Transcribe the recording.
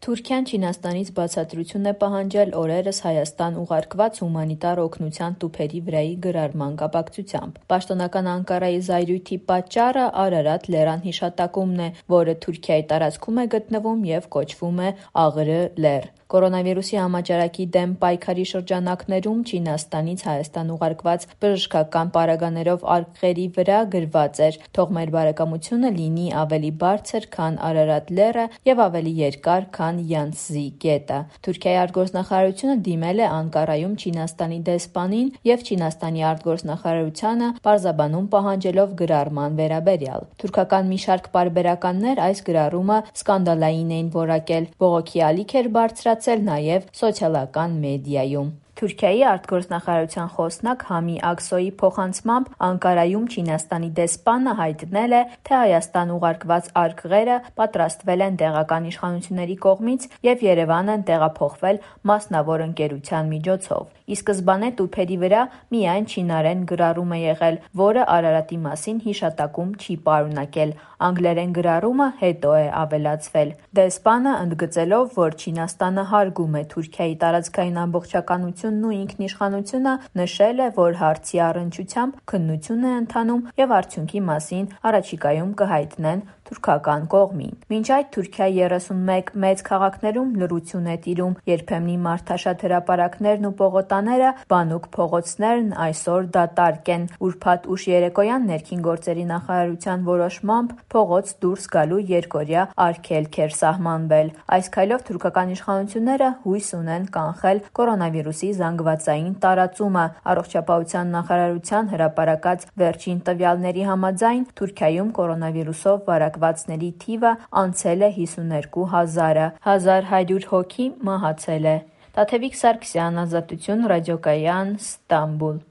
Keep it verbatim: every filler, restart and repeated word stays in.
Թուրքիան Չինաստանից բացատրություն է պահանջել օրերս Հայաստան ուղարկված հումանիտար օգնության տուփերի վրայի գրառման կապակցությամբ։ Պաշտոնական Անկարայի զայրույթի պատճառը Արարատ լեռան հիշատակումն է, որը Թուրքիայի տարածքում է գտնվում և կոչվում է Աղրը լեռ։ Կորոնավիրուսի համաճարակի դեմ պայքարի շրջանակներում Չինաստանից Հայաստան ուղարկված բժշկական պարագաներով արկղերի վրա գրված էր «Թող մեր բարեկամությունը լինի ավելի բարձր, քան Արարատ լեռը և ավելի երկար, քան Յանցզի գետը»։ Թուրքիայի արտգործնախարարությունը դիմել է Անկարայում Չինաստանի դեսպանին և Չինաստանի արտգործնախարարությանը պարզաբանում պահանջելով գրառման վերաբերյալ։ Թուրքական մի շարք պարբերականներ այս գրառումը սկանդալային էին որակել, բողոքի ալիք էր բարձրացել նաև սոցիալական մեդիայում։ Թուրքիայի արտգործնախարարության խոսնակ Համի Աքսոյի փոխանցմամբ Անկարայում Չինաստանի դեսպանը հայտնել է, թե Հայաստան ուղարկված արկղերը պատրաստվել են տեղական իշխանությունների կողմից և Երևան են տեղափոխվել մասնավոր ընկերության միջոցով։ Ի սկզբանե տուփերի վրա միայն չինարեն գրառում է եղել, որը Արարատի մասին հիշատակում չի պարունակել։ Անգլերեն գրառումը հետո է ավելացվել։ Դեսպանը, ընդգծելով, որ Չինաստանը հարգում է Թուրքիայի տարածքային ամբողջականությունն ու ինքնիշխանությունը, նշել է, որ հարցի առնչությամբ քննություն է ընթանում և արդյունքի մասին առաջիկայում կհայտնեն թուրքական կողմին։ Մինչ այդ Թուրքիայի երեսունմեկ մեծ քաղաքներում լռություն է տիրում։ Երբեմնի մարդաշատ հրապարակներն ու պողոտաները, բանուկ փողոցներն այսօր դատարկ են։ Ուրբաթ ուշ երեկոյան Ներքին գործերի նախարարության որոշմամբ փողոց դուրս գալու երկօրյա արգելք էր սահմանվել։ Այս քայլով թուրքական իշխանությունները հույս ունեն կանխել կորոնավիրուսի զանգվածային տարածումը։ Առողջապահության նախարարության հրապարակած վերջին տվյալների համաձայն Թուրքիայում կորոնավիրուսով վարակվածների թիվը անցել է հիսուներկու հազարը, հազար հարյուր հոգի մահացել է։ Տաթևիկ Սարգսյան, Ազատություն ռադիոկայան, Ստամբուլ։